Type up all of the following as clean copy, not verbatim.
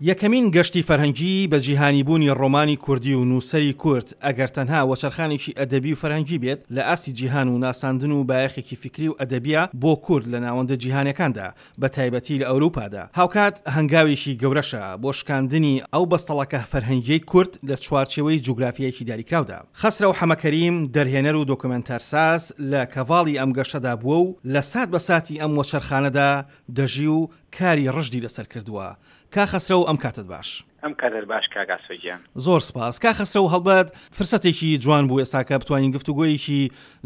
یەکەمین گەشتی فەرهەنگیی بە جیهانیبوونی ڕۆمانی کوردی و نووسەری کورد، ئەگەر تەنها وەچەرخانێکی ئەدەبی و فەرهەنگی بێت لە ئاستی جیهان و ناساندن و بایەخێکی فیکری و ئەدەبییە بۆ کورد لە ناوەندە جیهانیەکاندا بە تایبەتی لە ئەوروپادا، هاوکات هەنگاوێکی گەورەشە بۆ شکاندنی ئەو بەستەڵەکە فەرهەنگیەی کورد لە چوارچێوەی جوگرافیایەکی دیاریکراودا. خەسرەو حەمەکەریم، دەرهێنەر و دۆکۆمێنتارساز لە کەڤاڵی ئەم گەشتەدا بووە و لە سات بە ساتی ئەم وەچەرخانەدا دەژی و کاری ڕژدی لەسەر کردووە. کا خەسرەو ئەم کاتەت باش. ئەم کاتەت باش کاک ئاسۆ گیان. زۆر سپاس کا خەسرەو هەڵبەت فرسەتێکی جوان بوو ئێستاکە بتوانین گفتوگۆیەکی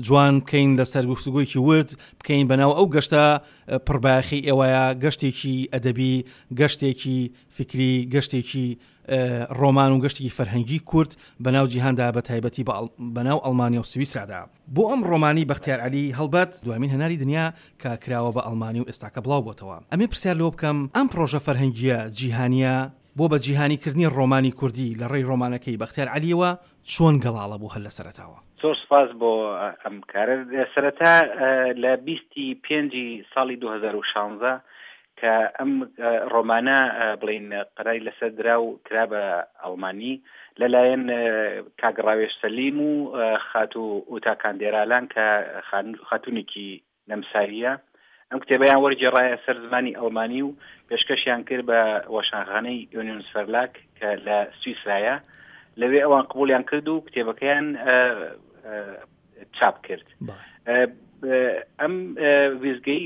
جوان بکەین لەسەر گفتوگۆیەکی ورد بکەین بەناو ئەو گەشتە پڕبایەخی ئێوەیە گەشتێکی ئەدەبی گەشتێکی فکری گەشتێکی ڕۆمان و گەشتێکی فەرهەنگی کورد بەناو جیهاندا بە تایبەتی بەناو ئەڵمانیا و سویسرادا. بۆ ئەم ڕۆمانی بەختیار عەلی هەڵبەت دوامین هەناری دنیا کە کراوە بە ئەڵمانی و ئێستاکە بڵاو بۆتەوە. ئەمێ پرسیار لەوە بکەم ئەم پڕۆژە فەرهەنگییە جیهانییە بۆ بە جیهانی کردنی ڕۆمانی کوردی لە ڕێی ڕۆمانەکەی بەختیار عەلییەوە چۆن گەڵاڵە بوو هەر لە سەرەتاوە؟ زۆر سپاس بۆ ئەم کارە. سەرەتا لە بیستی پێنجی ساڵی 2016 کە ئەم ڕۆمانە بڵین قەراری لەسەر درا و کرا بە ئەڵمانی لەلایەن کاک ڕاوێژ سەلیم و خاتوو ئوتا کاندێرالان کە خاتونێکی نەمساوییە ئەم کتێبەیان وەرگێڕایە سەر زمانی ئەڵمانی و پێشکەشیان کرد بە وەشانخانەی یۆنیۆنس فەرلاک کە لە سویسرایە لەوێ ئەوان قبولیان کرد و کتێبەکەیان چاپ کرد ئەم ویزگەی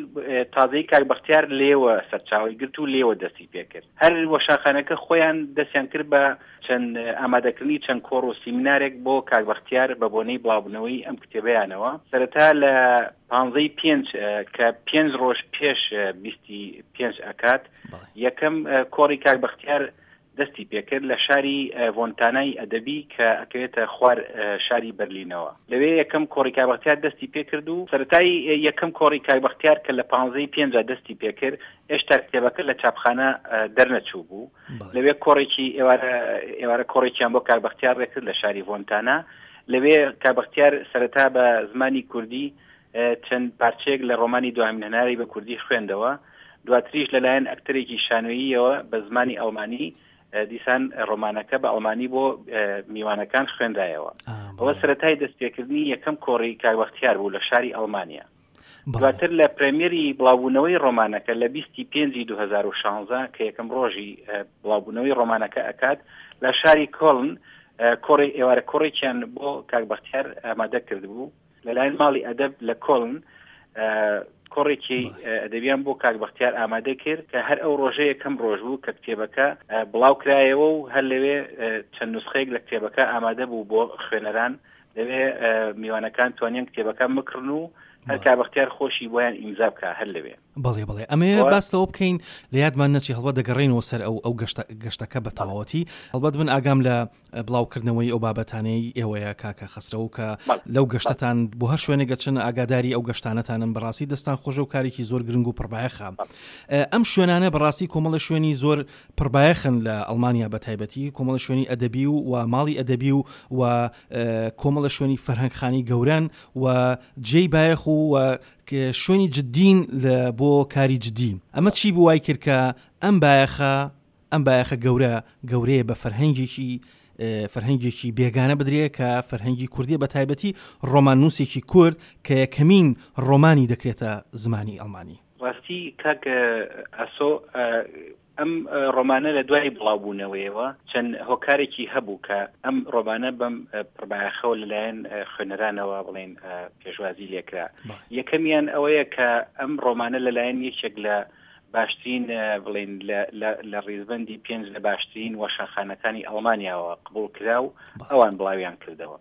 تازەی کاک بەختیار لێوە سەرچاوی گرت و لێوە دەستی پێکرد هەر وەشاخانەکە خۆیان دەستیان کرد بە چەند ئامادەکردنی چەند کۆڕ و سیمینارێک بۆ کاک بەختیار بە بۆنەی بڵاوبوونەوەی ئەم کتێبەیانەوە سەرەتا لە پانزەی پێنج کە پێنج ڕۆژ پێش بیستی پێنج ئەکات یەکەم کۆڕی کاک بەختیار دەستی پێکرد لە شاری ڤۆنتانای ئەدەبی کە ئەکەوێتە خوار شاری بەرلینەوە. لەوێ یەکەم کۆڕی کاک بەختیار دەستی پێکرد و سەرەتای یەکەم کۆڕی کاک بەختیار کە لە پانزەی پێنجا دەستی پێکرد ئێشتا کتێبەکە لە چاپخانە دەرنەچوو بوو. لەوێ کۆڕێکی ئێوارە ئێوارە کۆڕێکیان بۆ کاک بەختیار ڕێکرد لە شاری ڤۆنتانا. لەوێ کاک بەختیار سەرەتا بە زمانی کوردی چەند پارچەیەک لە ڕۆمانی دواهەمین هەنارەی بە کوردی خوێندەوە، دواتریش لەلایەن ئەکتەرێکی شانۆییەوە بە زمانی ئەڵمانی دیسان ڕۆمانەکە بە ئەڵمانی بۆ میوانەکان خوێنرایەوە. ئەوە سەرەتای دەستپێکردنی یەکەم کۆڕی کاک بەختیار بوو لە شاری ئەڵمانیا. دواتر لە پرێمیەری بڵاوبوونەوەی ڕۆمانەکە لە بیستی پێنجی 2016 کە یەکەم ڕۆژی بڵاوبوونەوەی ڕۆمانەکە ئەکات لە شاری کۆڵن کۆڕی ئێوارە کۆڕێکیان بۆ کاک بەختیار ئامادە کردبوو. لەلایەن ماڵی ئەدەب لە کۆڵن کۆڕێکی ئەدەبیان بۆ کاک بەختیار ئامادە کرد کە هەر ئەو ڕۆژە یەکەم ڕۆژ بوو کە کتێبەکە بڵاو کرایەوە و هەر لەوێ چەند نوسخەیەک لە کتێبەکە ئامادە بوو بۆ خوێنەران لەوێ میوانەکان توانیان کتێبەکە مکڕن و هەر کاک بەختیار خۆشی بۆیان ئیمزا بکە هەر لەوێ. بەڵێ بەڵێ ئەمەیە باس لەوە بکەین لە یادمان نەچی هەڵبەت دەگەڕێینەوە سەر ئەو ئەو گەشتە گەشتەکە بە تەواوەتی هەڵبەت من ئاگام لە بڵاوکردنەوەی ئەو بابەتانەی ئێوەیە کاکە خەسرەو کە لەو گەشتەتان بۆ هەر شوێنێک گەچن ئاگاداری ئەو گەشتانەتانم بەڕاستی دەستان خۆشە و کارێکی زۆر گرنگ و پڕبایەخە ئەم شوێنانە بەڕاستی کۆمەڵە شوێنی زۆر پڕبایەخن لە ئەڵمانیا بە تایبەتی کۆمەڵە شوێنی ئەدەبی و و ماڵی ئەدەبی و و کۆمەڵە شوێنی فەرهەنگخانی گەورەن و جێی بایەخ و شوێنی جدین لە بۆ کاری جدی ئەمە چی بوو وای کرد کە ئەم بایەخە ئەم بایەخە گەورە گەورەیە بە فەرهەنگێکی فەرهەنگێکی بێگانە بدرێ کە فەرهەنگی کوردیە بە تایبەتی ڕۆماننووسێکی کورد کە یەکەمین ڕۆمانی دەکرێتە زمانی ئەڵمانی. ڕاستی کاک ئاسۆ ئەم ڕۆمانە لە دوای بڵاوبوونەوەیەوە چەند هۆکارێکی هەبوو کە ئەم ڕۆمانە بەم پڕبایەخەوە لەلایەن خوێنەرانەوە بڵێن پێشوازی لێکرا. یەکەمیان ئەوەیە کە ئەم ڕۆمانە لەلایەن یەکێک لە باشترین بڵێین لە ڕیزبەندی پێنج لە باشترین وەشانخانەکانی ئەڵمانیاوە قبوڵ کرا و ئەوان بڵاویان کردەوە.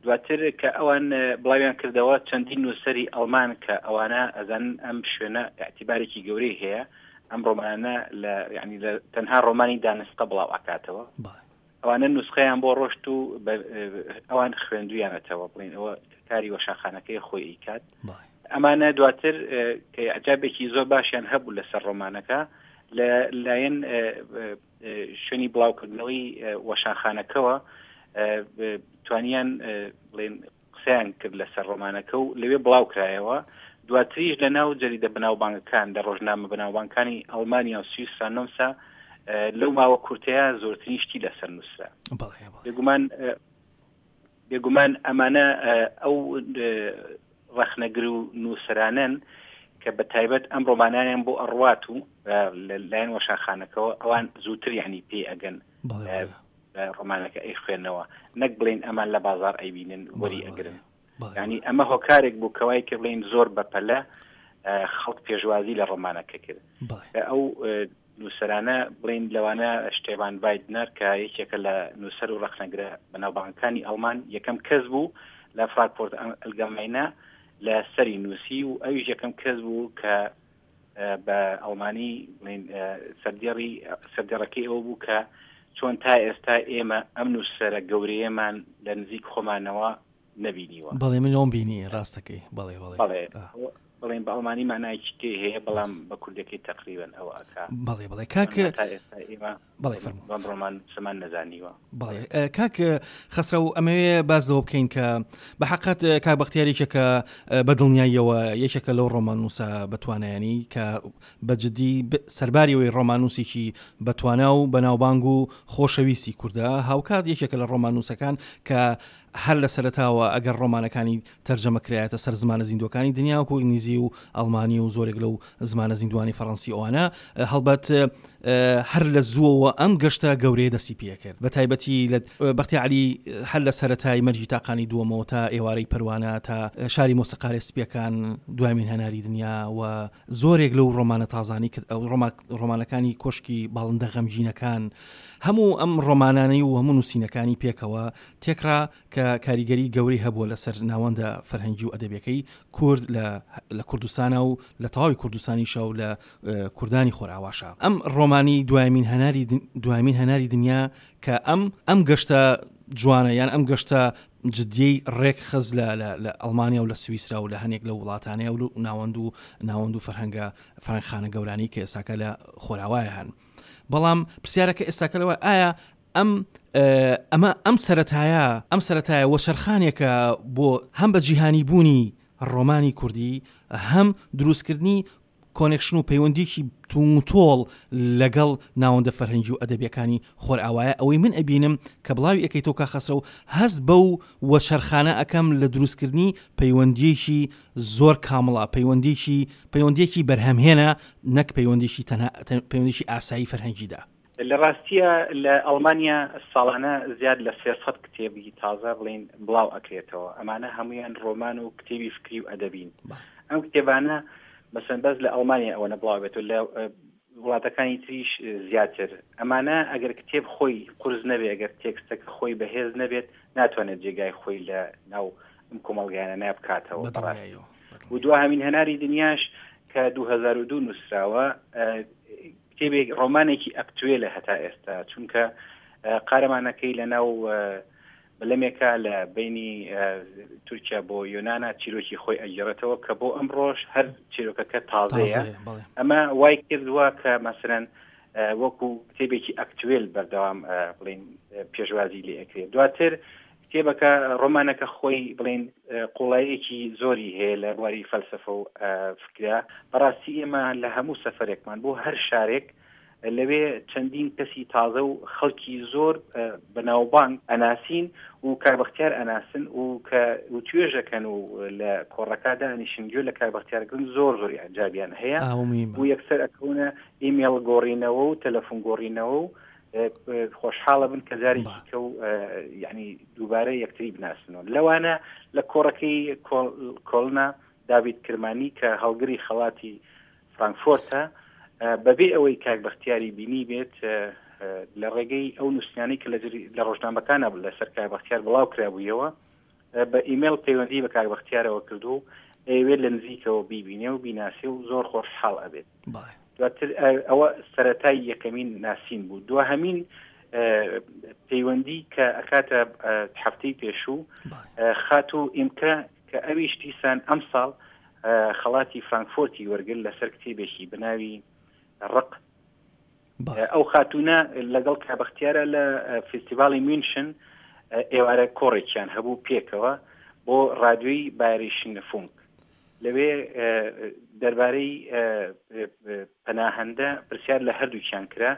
دواتر کە ئەوان بڵاویان کردەوە چەندین نووسەری ئەڵمان کە ئەوانە ئەزانن ئەم شوێنە ئیعتیبارێکی گەورەی هەیە ئەم ڕۆمانە لە یعنی لە تەنها ڕۆمانی دانسقە بڵاو ئەکاتەوە ئەوانە نوسخەیان بۆ ڕۆشت و ئەوان خوێندویانەتەوە بڵین ئەوە کاری وەشانخانەکەی خۆی ئەیکات ئەمانە دواتر کە ئەجابێکی زۆر باشیان هەبوو لەسەر ڕۆمانەکە لە لایەن شوێنی بڵاوکردنەوەی وەشانخانەکەوە توانیان بڵێن قسەیان کرد لەسەر ڕۆمانەکە و لەوێ بڵاو کرایەوە، دواتریش لە ناو جەریدە بەناوبانگەکان لە ڕۆژنامە بەناوبانگەکانی ئەڵمانیا و سویسرا نەمسا. لەو ماوە کورتەیە زۆرترین شتی لەسەر نووسرا. بێگومان بێگومان ئەمانە ئەو ڕەخنەگر و نووسەرانەن کە بە تایبەت ئەم ڕۆمانانیان بۆ ئەڕوات و لەلایەن وەشانخانەکەوە ئەوان زووتر یعنی پێی ئەگەن ڕۆمانەکە ئەی خوێنەوە نەک بڵین ئەمان لە بازار ئەیبینن وەری ئەگرن ینی ئەمە هۆکارێک بوو کەوای کە بڵین زۆر بەپەلە خەڵک پێشوازی لە ڕۆمانەکە کرد ئەو نووسەرانە بڵێین لەوانە شتێڤان ڤایدنەر کە یەکێکە لە نووسەر و ڕەخنەگرە بەناوبانگەکانی ئەڵمان یەکەم کەس بوو لە فراکفۆرت ئەلگەمینە لە سەری نووسی و ئەویش یەکەم کەس بوو کە بە ئەڵمانی بڵێین سەردێڕی سەردێڕەکەی ئەوە بوو کە چۆن تا ئێستا ئێمە ئەم نووسەرە گەورەیەمان لە نزیک خۆمانەوە نەبینیوە. بەڵێ من ئەوم بینی ڕاستەکەی بەڵێ بەڵێ. بەڵێ بڵێن بە ئەڵمانی مانایەکی تێ هەیە بەڵام بە کوردەکەی تقریبن ئەوە ئەکا. بەڵێ بەڵێ کاک تا ئێستا ئێمە بەڵێ فەرموو. بەم ڕۆمان سەمان نەزانیوە. بەڵێ کاک خەسرەو ئەمەوێ باس لەوە بکەین کە بە حەقەت کاک بەختیار یەکێکە بە دڵنیاییەوە یەکێکە لەو ڕۆماننووسە بەتوانایانی کە بە جدی سەرباری ئەوەی ڕۆماننووسێکی بەتوانا و بەناوبانگ و خۆشەویستی کوردە هاوکات یەکێکە لە ڕۆماننووسەکان کە هەر لە سەرەتاوە ئەگەر ڕۆمانەکانی تەرجەمە کرایەتە سەر زمانە زیندووەکانی دنیا وەکو ئینگلیزی و ئەڵمانی و زۆرێک لەو زمانە زیندوانی فەڕەنسی ئەوانە هەڵبەت هەر لە زووەوە ئەم گەشتە گەورەیە دەستی پێکرد بە تایبەتی لە بەختی علی هەر لە سەرەتای مەرگی تاقانی دووەمەوە تا ئێوارەی پەروانە تا شاری مۆسیقارێ سپیەکان دوامین هەناری دنیا و زۆرێک لەو ڕۆمانە تازانی کە ئەو ڕۆمانەکانی کۆشکی باڵندە غەمگینەکان هەموو ئەم ڕۆمانانەی و هەموو نووسینەکانی پێکەوە تێکڕا کە کاریگەری گەورەی هەبووە لەسەر ناوەندە فەرهەنگی و ئەدەبیەکەی کورد لە لە کوردستانا و لە تەواوی کوردستانیشا و لە کوردانی خۆرئاواشا. ئەم ڕۆمانی دوایمین هەناری دوایمین هەناری دنیا کە ئەم ئەم گەشتە جوانە یان ئەم گەشتە جدیەی ڕێک خست لە لە لە ئەڵمانیا و لە سویسرا و لە هەنێک لەو وڵاتانەیە و ناوەند و ناوەند و فەرهەنگە فەرهەنگخانە گەورانەی کە ئێستاکە لە خۆراوایە هەن. بەڵام پرسیارەکە ئێستاکە لەوە ئایا ئەم ئەمە ئەم سەرەتایە ئەم سەرەتایە وەچەرخانێکە بۆ هەم بە جیهانی بوونی ڕۆمانی کوردی هەم دروستکردنی کۆنێکشن و پەیوەندیکی تووتۆڵ لەگەڵ ناوەندە فەرهەنگی و ئەدەبیەکانی خۆرئاوایە ئەوەی من ئەبینم کە بڵاوی ئەەکەیتەوە کا خەسرەو هەست بەو وەچەرخانە ئەەکەم لە دروستکردنی پەیوەندیەکی زۆر کامڵە پەیوەندیکی پەیوەندیەکی بەرهەمهێنە نەک پەیوەندیکی تەنها پەیوەندیکی ئاسایی فەرهەنگیدا. لە ڕاستییا لە ئەڵمانیا ساڵانە زیاد لە 300 کتێبی تازە بڵین بڵاو ئەکرێتەوە ئەمانە هەمویان ڕۆمان و کتێبی فکری و ئەدەبین ئەم کتێبانە مەسەن بەس لە ئەڵمانیا ئەوەنە بڵاو بێتەوە لە وڵاتەکانی تریش زیاتر ئەمانە ئەگەر کتێب خۆی قورس نەبێ ئەگەر تێکستەکە خۆی بەهێز نەبێت ناتوانێت جێگای خۆی لە ناو ئەم کۆمەڵگایانە نابکاتەوە و دواهەمین هەناری دنیاش کە 2002 نووسراوە کتێبێک ڕۆمانێکی ئەکتوێلە هەتا ئێستا چونکە قارەمانەکەی لە ناو بەلەمێکە لە بینی تورکیا بۆ یۆناە چیرۆکی خۆی ئەگەڕێتەوە کە بۆ ئەمڕۆژ هەر چیرۆکەکە تازەیە ئەمە وای کردووە کە مەسەرەن وەکو کتێبێکی ئەکتوێل بەردەوام بڵین پێشوازی لێ ئەکرێت دواتر کتێبەکە ڕۆمانەکە خۆی بڵین قوڵاییەکی زۆری هەیە لە بواری فەلسەفە و فکرە بەڕاستی ئێمە لە هەموو سەفەرێکمان بۆ هەر شارێک لەوێ چەندین کەسی تازە و خەڵکی زۆر بەناوبانگ ئەناسین و کاک بەختیار ئەناسن و کە وتوێژەکەن و لە کۆڕەکە دانیشن گوێ لە کاک بەختیار گرن زۆر زۆر ئیعجابیان هەیە و یەکسەر ئەکەونە ئیمێڵ گۆڕینەوە و تەلەفۆن گۆڕینەوە و خۆشحاڵە بن کە جارێکی کە و یعنی دووبارە یەکتری بناسنەوە لەوانە لە کۆڕەکەی کۆڵنا داوید کرمانی کە هەڵگری خەڵاتی فرانکفۆرتە بەبێ ئەوەی کاک بەختیاری بینی بێت لە ڕێگەی ئەو نووسینانەی کە لە ڕۆژنامەکانە لەسەر کاک بەختیار بڵاو کرابوویەوە بە ئیمێڵ پەیوەندی بە کاک بەختیارەوە کردو و ئەیەوێت لە نزیکەوە بیبینێ و بیناسێ و زۆر خۆشحاڵ ئەبێت. دواتر ئەوە سەرەتای یەکەمین ناسین بوو. دواهەمین پەیوەندی کە ئەکاتە هەفتەی پێشوو خاتوو ئیمکە کە ئەویش دیسان ئەمساڵ خەڵاتی فرانکفۆرتی وەرگر لەسەر کتێبێکی بەناوی ڕق ئەو خاتوونە لەگەڵ کابختیارە لە فیستیڤاڵی میونشن ئێوارە کۆڕێکیان هەبوو پێکەوە بۆ ڕادیۆی بایریشن فونک لەوێ دەربارەی پەناهەندە پرسیار لە هەردووکیان کرا.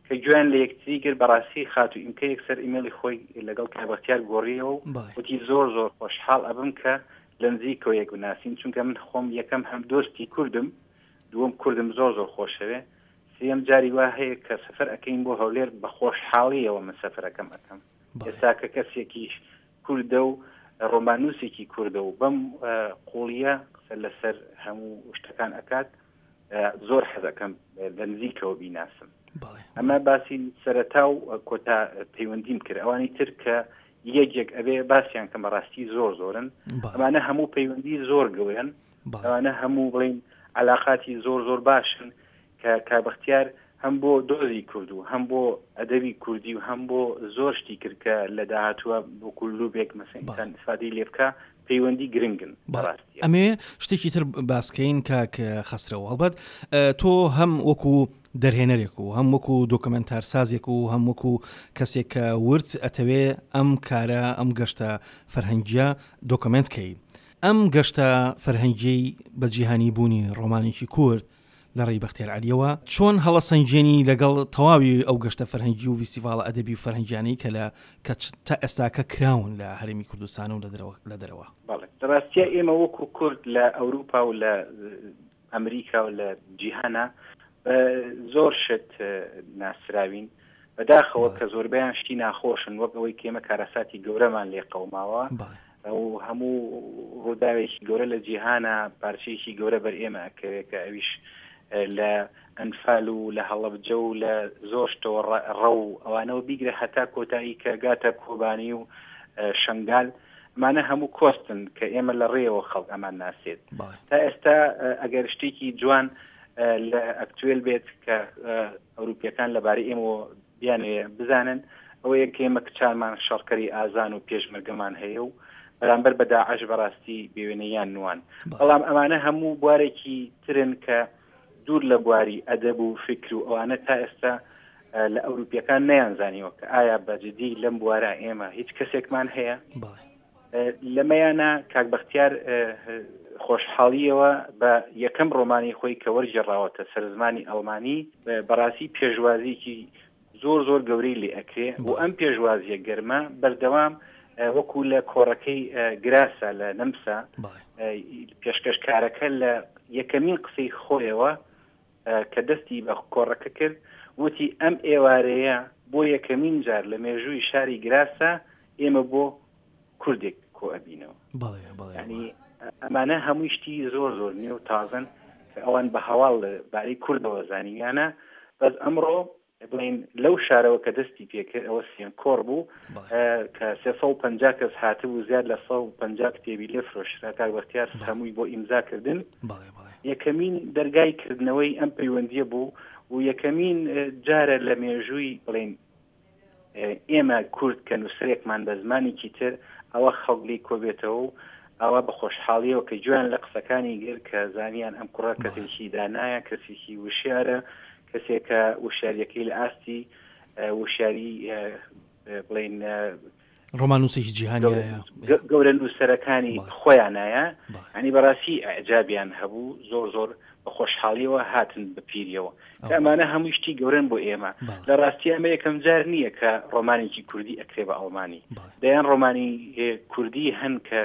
کە گوێیان لە یەکتری گرت بەڕاستی خاتوو ئیمکە یەکسەر ئیمێڵی خۆی لەگەڵ کاک بەختیار گۆڕیەوە و وتی زۆر زۆر خۆشحاڵ ئەبم کە لە نزیکەوە یەک بناسین چونکە من خۆم یەکەم هەم دۆستی کوردم دووەم کوردم زۆر زۆر خۆشەوێ سێیەم جاری وا هەیە کە سەفەر ئەکەین بۆ هەولێر بە خۆشحاڵیەوە من سەفەرەکەم ئەکەم ئێستا کە کەسێکیش کوردە و ڕۆماننووسێکی کوردە و بەم قوڵیە قسە لەسەر هەموو شتەکان ئەکات زۆر حەزەکەم لە نزیکەوە بیناسم ئەمە باسی سەرەتا و کۆتا پەیوەندیم کرد ئەوانی تر کە یەکێک ئەبێ باسییان کە بەڕاستی زۆر زۆرن ئەمانە هەموو پەیوەندی زۆر گەورن ئەوانە هەموو بڵین علااقاتی زۆر زۆر باشن کە کابختیار هەم بۆ دۆزی کورد و هەم بۆ ئەدەبی کوردی و هەم بۆ زۆر شتی کرد کە لە داهاتووە وەکو لوبێک مەسەن ئینسان ئیسفادەی لێ بکا پەیوەندی گرنگن بەڕاستی. ئەمەوێ شتێکی تر باسکەین کاک خەسرەو هەڵبەت تۆ هەم وەکو دەرهێنەرێک و هەم وەکو دۆکۆمێنتارسازێک و هەم وەکو کەسێک کە ورد ئەتەوێ ئەم کارە ئەم گەشتە فەرهەنگیە دۆکۆمێنت کەی ئەم گەشتە فەرهەنگیەی بە جیهانی بوونی ڕۆمانێکی کورد لە ڕێی بەختیار عەلیەوە چۆن هەڵەسەنگێنی لەگەڵ تەواوی ئەو گەشتە فەرهەنگی و ڤیستیڤاڵە ئەدەبی و فەرهەنگیانەی کە لە کە تا ئێستاکە کراون لە هەرێمی کوردستان و لە دەرەوە لە دەرەوە؟ بەڵێ لە ڕاستیا ئێمە وەکو کورد لە ئەوروپا و لە ئەمریکا و لە جیهانا بە زۆر شت ناسراوین بەداخەوە کە زۆربەیان شتی ناخۆشن وەک ئەوەی کە ئێمە کارەساتی گەورەمان لێ قەوماوە و هەموو ڕووداوێکی گەورە لە جیهانە پارچەیەکی گەورە بەر ئێمە ئەکەوێت کە ئەویش لە ئەنفال و لە هەڵەبجە و لە زۆر شتەوە ڕەو ئەوانەوە بیگرە هەتا کۆتایی کە گاتە کۆبانی و شنگال ئەمانە هەموو کۆستن کە ئێمە لە ڕێەوە خەڵک ئەمان ناسێت تا ئێستا ئەگەر شتێکی جوان لە ئەکتوێل بێت کە ئەوروپیەکان لەبارەی ئێمەوە بیانەوێ بزانن ئەوەیە کە ئێمە کچانمان شەڕکەری ئازان و پێشمەرگەمان هەیە و بەرامبەر بە داعش بەڕاستی بێوێنەیان نوان بەڵام ئەمانە هەموو بوارێکی ترن کە دوور لە بواری ئەدەب و فکر و ئەوانە تا ئێستا لە ئەوروپیەکان نەیان زانیوە کە ئایا بەجددی لەم بوارە ئێمە هیچ کەسێکمان هەیە لەمەیانە کاک بەختیار خۆشحاڵیەوە بە یەکەم ڕۆمانی خۆی کە وەرگێڕاوەتە سەر زمانی ئەڵمانی بەڕاستی پێشوازیکی زۆر زۆر گەورەی لێ ئەکرێ و ئەم پێشوازیە گەرمە بەردەوام وەکو لە کۆڕەکەی گراسە لە نەمسا پێشکەشکارەکە لە یەکەمین قسەی خۆیەوە کە دەستی بە کۆڕەکە کرد وتی ئەم ئێوارەیە بۆ یەکەمین جار لە مێژووی شاری گراسە ئێمە بۆ کوردێک کۆ ئەبینەوە ینی ئەمانە هەمووی شتی زۆر زۆر نوێ و تازن کە ئەوان بە هەواڵ لە بارەی کوردەوە زانیویانە بەس ئەمڕۆ بڵین لەو شارەوە کە دەستی پێکرد ئەوە سیان کۆڕ بوو کە 350 کەس هاتبوو زیاد لە 150 کتێبی لێ فرۆشرا کاک بەختیار هەمووی بۆ ئیمزا کردن یەکەمین دەرگای کردنەوەی ئەم پەیوەندیە بوو و یەکەمین جارە لە مێژووی بڵین ئێمە کورد کە نووسەرێکمان بە زمانێکی تر ئەوە خەڵک لێی کۆبێتەوە و ئەوە بە خۆشحاڵیەوە کە گوێیان لە قسەکانی گر کە زانیان ئەم کوڕە کەسێکی دانایە کەسێکی وشیارە کەسێکە وشیاریەکەی لە ئاستی وشیاری بڵین ڕۆماننووسێکی جیهانیایە گەورە نووسەرەکانی خۆیانایە ئەنی بەڕاستی ئەعجابیان هەبوو زۆر زۆر بە خۆشحاڵیەوە هاتن بە پیریەوە کە ئەمانە هەموو شتی گەورن بۆ ئێمە لە ڕاستی ئەمە یەکەم جار نییە کە ڕۆمانێکی کوردی ئەکرێ بە ئەڵمانی دەیان ڕۆمانی کوردی هەن کە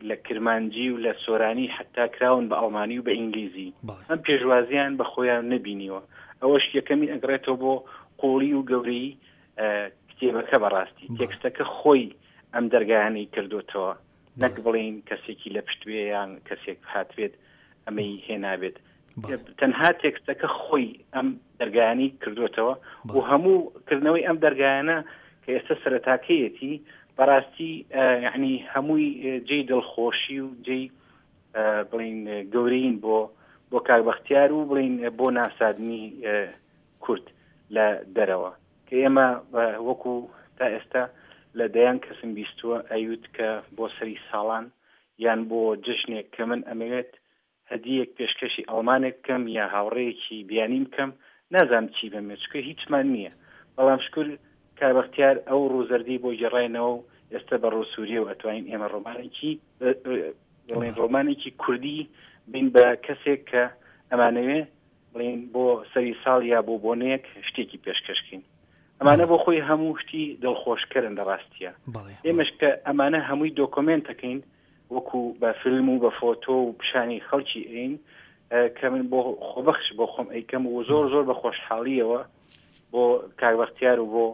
لە کرمانجی و لە سۆرانی حتا کراون بە ئەڵمانی و بە ئینگلیزی ئەم پێشوازیان بە خۆیان نەبینیوە ئەوەش یەکەمی ئەگرێتەوە بۆ قوڵی و گەورەی کتێبەکە بەڕاستی تێکستەکە خۆی ئەم دەرگایانەی کردوتەوە نەک بڵین کەسێکی لە پشت بێ یان کەسێک هاتبێت ئەمەی هێنابێت تەنها تێکستەکە خۆی ئەم دەرگایانی کردوتەوە و هەموو کردنەوەی ئەم دەرگایانە کە ئێستا سەرەتاکەیەتی بەڕاستی یعنی هەمووی جێی دڵخۆشی و جێی بڵین گەورەین بۆ بۆ کاک بەختیار و بڵین بۆ ناسادنی کورد لە دەرەوە کە ئێمە وەکو تا ئێستا لە دەیان کەسم بیستووە ئەیوت کە بۆ سەری ساڵان یان بۆ جەژنێک کە من ئەمەوێت هەدیەک پێشکەشی ئەڵمانێک بکەم یا هاوڕێیەکی بیانیم بکەم نازانم چی بەمێ چونکە هیچمان نییە بەڵام شکر کاک بەختیار ئەو ڕووزەردی بۆ گێڕاینەوە و ئێستا بە ڕووسووریەوە ئەتوانین ئێمە ڕۆمانێکی بڵێن ڕۆمانێکی کوردی بین بە کەسێک کە ئەمانەوێ. بڵێین بۆ سەری ساڵ یا بۆ بۆنەیەک شتێکی پێشکەشکەین ئەمانە بۆ خۆی هەموو شتی دڵخۆشکەرن لە ڕاستیە ئێمەش کە ئەمانە هەمووی دۆکۆمێنتەکەین وەکو بە فیلم و بە فۆتۆ و پیشانی خەڵکی ئەین کە من بۆ خۆبەخش بۆ خۆم ئەیکەم و زۆر زۆر بە خۆشحاڵیەوە بۆ کاک بەختیار و بۆ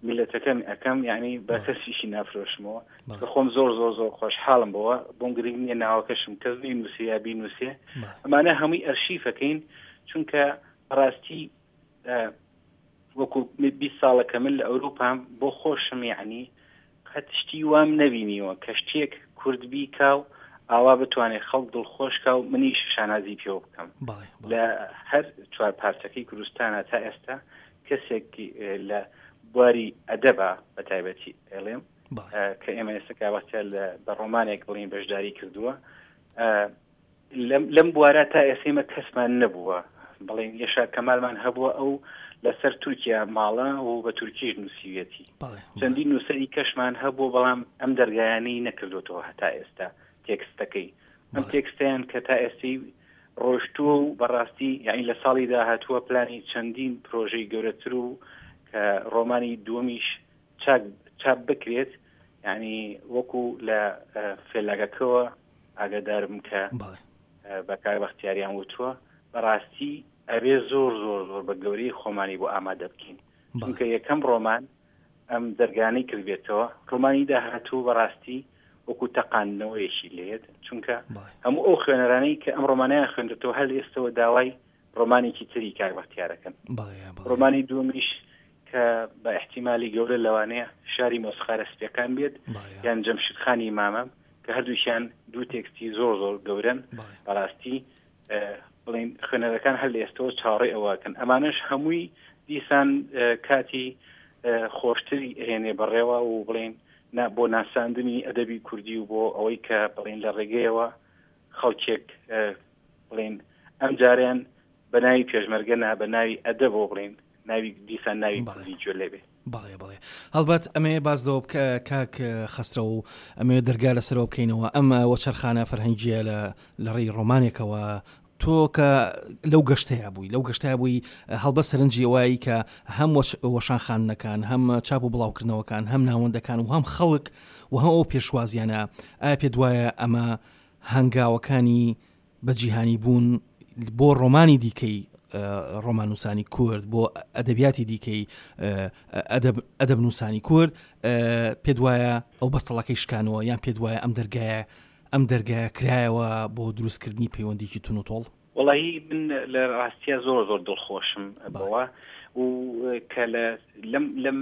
میلەتەکەم ئەەکەم یعنی بە کەسیشی نافرۆشمەوە کە خۆم زۆر زۆر زۆر خۆشحاڵم بەوە بۆم گرنگ نییە ناوەکەشم کەس نینوسێ یا بینوسێ ئەمانە هەمووی ئەرشیفەکەین چونکە بەڕاستی وەکو 20 ساڵە کە من لە ئەوروپام بۆ خۆشم یعنی قەت شتی وام نەبینیوە کە شتێک کورد بیکا و ئاوا بتوانێت خەڵک دڵخۆشکا و منیش شانازی پێوە بکەم لە هەر چوار پارچەکەی کوردستانە تا ئێستا کەسێک لە بواری ئەدەبە بە تایبەتی ئەڵێم کە ئێمە ئێستا کاوەختە لە بە ڕۆمانێک بڵین بەشداری کردووە لەم بوارە تا ئێستا ئێمە کەسمان نەبووە بڵێن یەشار کەمالمان هەبووە ئەو لەسەر تورکیا ماڵە و بە تورکیش نووسیویەتی چەندین نووسەری کەشمان هەبوو بەڵام ئەم دەرگایانەی نەکردوتەوە هەتا ئێستا تێکستەکەی ئەم تێکستیان کە تا ئێستی ڕۆشتووە و بەڕاستی یعنی لە ساڵی داهاتووە پلانی چەندین پرۆژەی گەورەتر و کە ڕۆمانی دووەمیش چاک چاپ بکرێت یعنی وەکو لە فێلاگەکەوە ئاگادارم کە بە کاک بەختیاریان وتووە بەڕاستی ئەبێ زۆر زۆر زۆر بە گەورەی خۆمانی بۆ ئامادە بکەین چونکە یەکەم ڕۆمان ئەم دەرگانەی کردبێتەوە ڕۆمانی داهاتوو بەڕاستی وەکو تەقاندنەوەیەکی لێت چونکە هەموو ئەو خوێنەرانەی کە ئەم ڕۆمانیان خوێندێتەوە هەر ئێستەوە داوای ڕۆمانێکی تری کاک بەختیارەکەن ڕۆمانی دووەمیش کە بە احتیممالی گەورە لەوانەیە شاری مۆسخارە سپیەکان بێت یان جەمشیدخانی مامەم کە هەردووکیان دوو تێکستی زۆر زۆر گەورن بەڕاستی بڵین خوێنەرەکان هەر لە ئێستەوە چاڕێ ئەوەکەن ئەمانەش هەمووی دیسان کاتی خۆشتری هێنێ بەڕێوە و بڵین بۆ ناساندنی ئەدەبی کوردی و بۆ ئەوەی کە بڵین لە ڕێگەیەوە خەڵکێک بڵێن ئەم جارەیان بە ناوی پێشمەرگە نا بە ناوی ئەدەبەوە بڵێن ناوی دیسان ناوی کوردی گوێ لێ بێ. بەڵێ بەڵێ هەڵبەت ئەمەیە باس لەوە بکە کاک خەسرەو و ئەمەوێ دەرگا لەسەرەوە بکەینەوە ئەم وەچەرخانە فەرهەنگیە لە لە ڕێی ڕۆمانێکەوە تۆ کە لەو گەشتەیە بووی لەو گەشتە بووی هەڵبەت سەرنجی ئەوایی کە هەم وەشانخانەکان هەم چاپ و بڵاوکردنەوەکان هەم ناوەندەکان و هەم خەڵک و هەم ئەو پێشوازیانە ئایا پێت وایە ئەمە هەنگاوەکانی بە جیهانی بوون بۆ ڕۆمانی دیکەی ڕۆمانوسانی کورد بۆ ئەدەبیاتی دیکەی ئەدەب نووسانی کورد پێ دوایە ئەو بەستەڵەکەی شکانەوە یان پێ دوایە ئەم دەرگایە ئەم دەرگایە کرایەوە بۆ دروستکردنی پەیوەندیکی تون و تۆڵ؟ وەڵی من لە ڕاستە زۆر زۆر دڵخۆشم بەوە و کە لە لەم لەم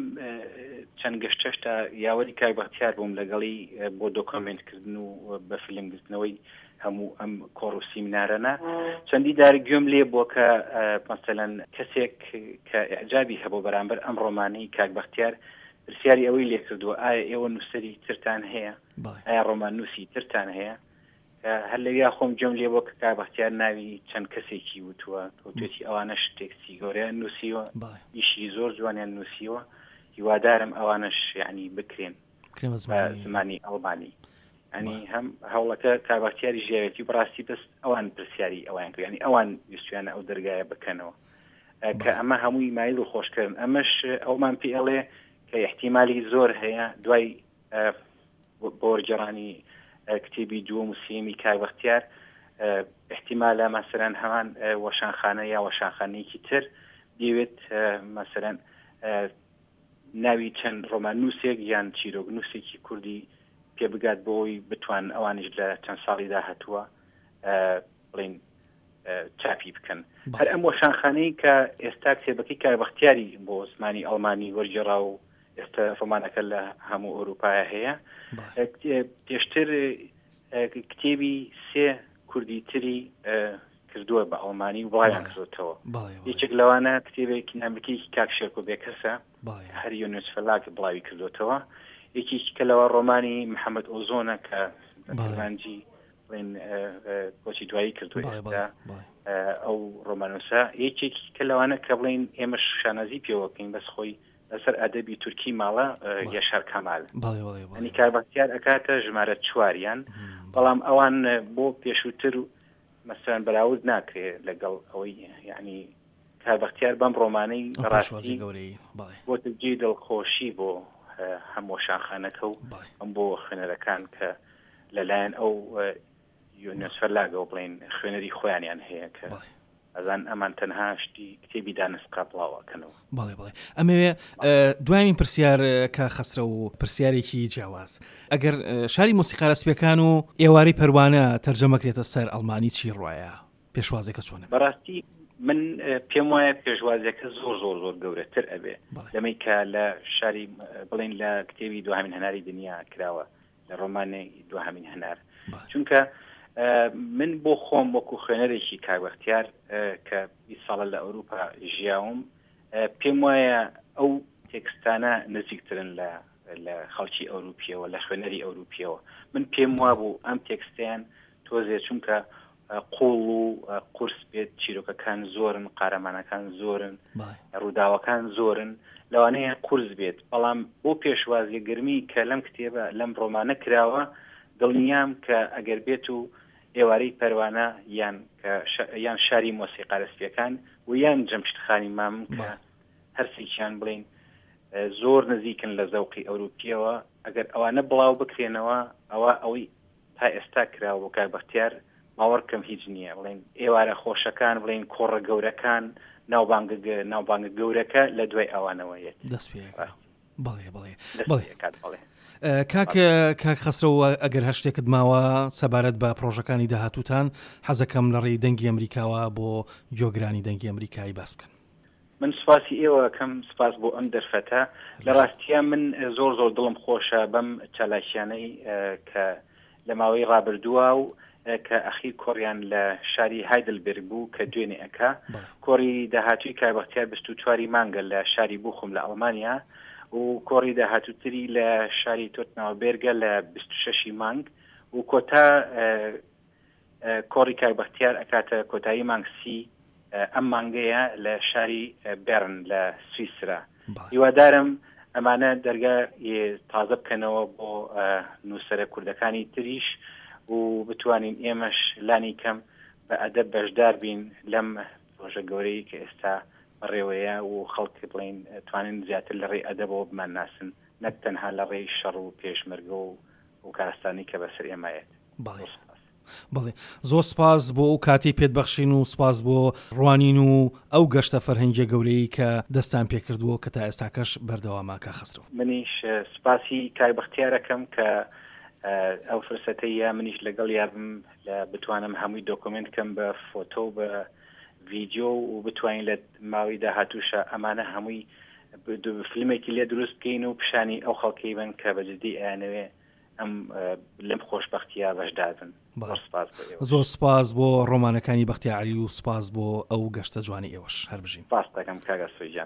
چەند گەشتەشتا یاوەری کاک بەختیار بووم لەگەڵی بۆ دۆکۆمێنت کردن و بە فیلم گرتنەوەی هەموو ئەم کۆڕ و سیمینارەنە چەندی دار گوێم لێ بووە کە مەسەلەن کەسێک کە ئیعجابی هەبوو بەرامبەر ئەم ڕۆمانەی کاک بەختیار پرسیاری ئەوەی لێکردووە ئایا ئێوە نووسەری ترتان هەیە ئایا ڕۆماننووسی ترتان هەیە هەر لەویا خۆم گوێم لێ بووە کە کاک بەختیار ناوی چەند کەسێکی وتووە وتوێتی ئەوانەش تێکستی گەورەیان نووسیوە ئیشی زۆر جوانیان نووسیوە هیوادارم ئەوانەش یعنی بکرێن بە زمانی ئەڵمانی ئەنی هەم هەوڵەکە کاک بەختیاری ژیاوێتی بەڕاستی بەس ئەوان پرسیاری ئەوان کرد ینی ئەوان ویستویانە ئەو دەرگایە بکەنەوە کە ئەمە هەمووی مایل و خۆشکردن ئەمەش ئەومان پێ ئەڵێ کە احتیممالی زۆر هەیە دوای بۆ وەرگێڕانی کتێبی دووەم و سێیەمی کاک بەختیار احتیمالە مەسەرەن هەمان وەشانخانە یا وەشانخانەیەکی تر بیەوێت مەسەرەن ناوی چەند ڕۆماننووسێک یان چیرۆکنووسێکی کوردی پێ بگات بۆی بتوان ئەوانیش لە چەند ساڵی داهاتووە بڵین چاپی بکەن هەر ئەم وەشانخانەی کە ئێستا کتێبەکەی کاک بەختیاری بۆ زمانی ئەڵمانی وەرگێڕا و ئێستا ڕۆمانەکە لە هەموو ئەوروپایە هەیە پێشتر کتێبی سێ کوردی تری کردووە بە ئەڵمانی و بڵاویان کردوتەوە یەکێک لەوانە کتێبێکی نامەکەیەکی کاک شێرکۆ بێکەسە هەر یونس فەلاک بڵاوی کردوتەوە یەکێکی کە لەوە ڕۆمانی محەممەد ئۆزۆنە کە کرمانجی بڵێن کۆچی دوایی کردو ئەو ڕۆمانوسە یەکێکی کە لەوانە کە بڵین ئێمە شانازی پێوەکەین بەس خۆی لەسەر ئەدەبی تورکی ماڵە یەشار کەمال ئەنی کاک بەختیار ئەکاتە ژمارە چواریان بەڵام ئەوان بۆ پێشووتر مەسەرەن بەراورد ناکرێ لەگەڵ ئەوەی یعنی. کاک بەختیار بەم ڕۆمانەی ئەو بەڕاستی پێشوازی گەورەی بەڵێ. بۆتە جێی دڵخۆشی بۆ هەم وەشانخانەکە و بەڵێ. هەم بۆ خوێنەرەکان کە لەلایەن ئەو یۆنس فەرلاگەوە بڵێین خوێنەری خۆیانیان هەیە کە بەڵێ. ئەزان ئەمان تەنها شتی کتێبی دانسقە بڵاو ئەکەنەوە. بەڵێ بەڵێ ئەمەوێ دواین پرسیار کە خەسرە و پرسیارێکی جیاواز ئەگەر شاری مۆسیقارە سپیەکان و ئێوارەی پەروانە تەرجەمەکرێتە سەر ئەڵمانی چی ڕایە پێشوازەکە چۆنە؟ بەڕاستی من پێم وایە پێشوازیەکە زۆر زۆر زۆر گەورەتر ئەبێ لەمەی کە لە شاری بڵین لە کتێبی دوهامین هەناری دنیا کراوە لە ڕۆمانی دوهامین هەنار چونکە من بۆ خۆم وەکو خوێنەرێکی کاک بەختیار کە 20 ساڵە لە ئەوروپا ژیاوم پێم وایە ئەو تێکستانە نزیکترن لە لە خەڵکی ئەوروپیەوە لە خوێنەری ئەوروپیەوە من پێم وابوو ئەم تێکستیان تۆزێ چونکە قوڵ و قورس بێت چیرۆکەکان زۆرن قارەمانەکان زۆرن ڕووداوەکان زۆرن لەوانەیە قورس بێت بەڵام بۆ پێشوازیە گەرمی کە لەم کتێبە لەم ڕۆمانە کراوە دڵنیام کە ئەگەر بێت و ئێوارەی پەروانە یان یان شاری مۆسیقارە سپیەکان و یان جەمشید خانی مامم کە هەرسێکیان بڵین زۆر نزیکن لە زەوقی ئەوروپیەوە ئەگەر ئەوانە بڵاو بکرێنەوە ئەوە ئەوەی تا ئێستا کراوە بۆ کاک بەختیار باوەڕکەم هیچ نییە بڵێن ئێوارە خۆشەکان بڵێن کۆڕە گەورەکان ناوبانگە ناوبانگە گەورەکە لە دوای ئەوانەوە یەت دەست پێ بەڵێ بەڵێ بەڵێ بەڵێ کاک کاک خەسرەوە ئەگەر هەر شتێکت ماوە سەبارەت بە پرۆژەکانی داهاتووتان حەزەکەم لە ڕێی دەنگی ئەمریکاوە بۆ گۆگرانی دەنگی ئەمریکایی باس بکەن. من سوپاسی ئێوە ئەکەم، سوپاس بۆ ئەم دەرفەتە. لە ڕاستیا من زۆر زۆر دڵم خۆشە بەم چالاکیانەی کە لە ماوەی ڕابردووە و کە ئەخیر کۆڕیان لە شاری هایدلبێرگ بوو کە دوێنێ ئەکا. کۆڕی داهاتووی کاک بەختیار 24 ی مانگە لە شاری بوخم لە ئەڵمانیا و کۆڕی داهاتووتری لە شاری تۆتناوبێرگە لە 26 ی مانگ و کۆتا کۆڕی کاک بەختیار ئەکاتە کۆتایی مانگ سی ئەم مانگەیە لە شاری بێرن لە سویسرا. هیوادارم ئەمانە دەرگا تازە بکەنەوە بۆ نووسەرە کوردەکانی تریش و بتوانین ئێمەش لانی کەم بە ئەدەب بەشدار بین لەم پرۆژە گەورەی کە ئێستا بەڕێوەیە و خەڵک بڵین توانین زیاتر لە ڕێی ئەدەبەوە بمانناسن نەک تەنها لە ڕێی شەڕ و پێشمەرگە و و کارەستانی کە بەسەر ئێمە یەت. بەڵێ. بەڵێ زۆر سپاس بۆ ئەو کاتەی پێت بەخشین و سپاس بۆ ڕوانین و ئەو گەشتە فەرهەنگیە گەورەی کە دەستان پێکردووە کە تا ئێستاکەش بەردەوامە کاک خەسرەو. منیش سپاسی کاک بەختیار ئەکەم کە ئەو فرسەتەی یا منیش لەگەڵیا بم لە بتوانم هەمووی دۆکۆمێنت کەم بە فۆتۆ و بە ڤیدیۆ و بتوانین لە ماوەی داهاتووشا ئەمانە هەمووی فیلمێکی لێ دروست بکەین و پیشانی ئەو خەڵکەی بن کە بە جدی ئەیانەوێ ئەم لەم خۆشببختیا بەشدار بن. زۆر سپاس بۆ ئێوە. زۆر سپاس بۆ ڕۆمانەکانی بەختیار عەلی و سپاس بۆ ئەو گەشتە جوانی ئێوەش. هەر بژین. سپاست دەکەم کاک ئاسۆ گیان.